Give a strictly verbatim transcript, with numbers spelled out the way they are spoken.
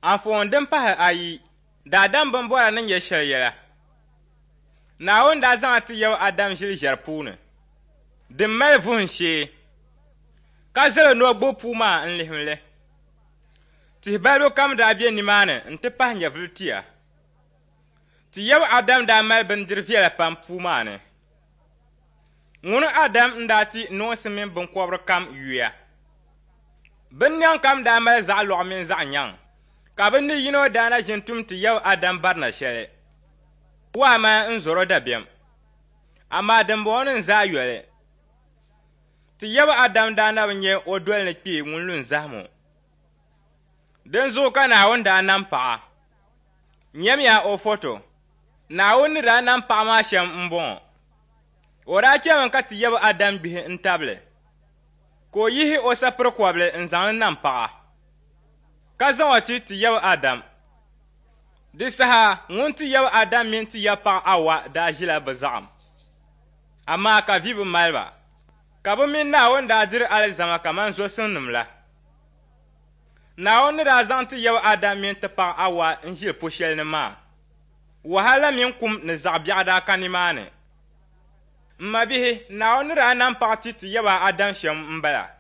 Anfooni din pahi ayi, daadam binbɔra ni nyɛ shɛli yɛla. Naawuni daa zaŋ ti yab Adam ʒili ʒɛri puuni, din mali vuhim shee, ka zali o ni o gbubi puu maa n-lihim li. Tihi balibu kam daa be nimaani nti pahi nyɛvili tia. Ti yab Adam daa mali bindiri viɛla pam puu maa ni. Ŋuni Adam n-daa ti noonsi mini binkɔbiri kam yuya. Binnɛŋ kam daa mali zaɣ lɔɣu mini zaɣ nyaŋ, ka bɛ ni yino daa na ʒini tum ti yab Adam barina shɛli. Waa maa n-zɔr o dabiɛm, amaa dimbɔŋɔnim zaa yoli. Ti yab Adam daa na bi nya o doli ni kpee ŋun lu n-zahim o. Dinzuɣu ka Naawuni daa nam paɣa. Nyamiya o foto. Naawuni ni daa nam paɣa maa shɛm m-bɔŋɔ. O daa chɛmi ka ti yab Adam gbihi n-tabili, ka o yihi o sapiri kɔbili n-zaŋ li nam paɣa, ka zaŋ o ti ti yab Adam. Di saha ŋun ti yab Adam mini ti yab paɣa Awa daa ʒila bɛ zaɣim, amaa ka vi bi mali ba, ka bɛ mini Naawuni daa diri alizama kaman zɔsimnim la. Naawuni ni daa zaŋ ti yab Adam mini ti paɣa Awa n-ʒili pu shɛli ni maa, wahala mini kum ni zaɣ biɛɣu daa ka nimaani. M mabihi, Naawuni ni daa nam paɣa ti ti yaba Adam shɛm m-bala.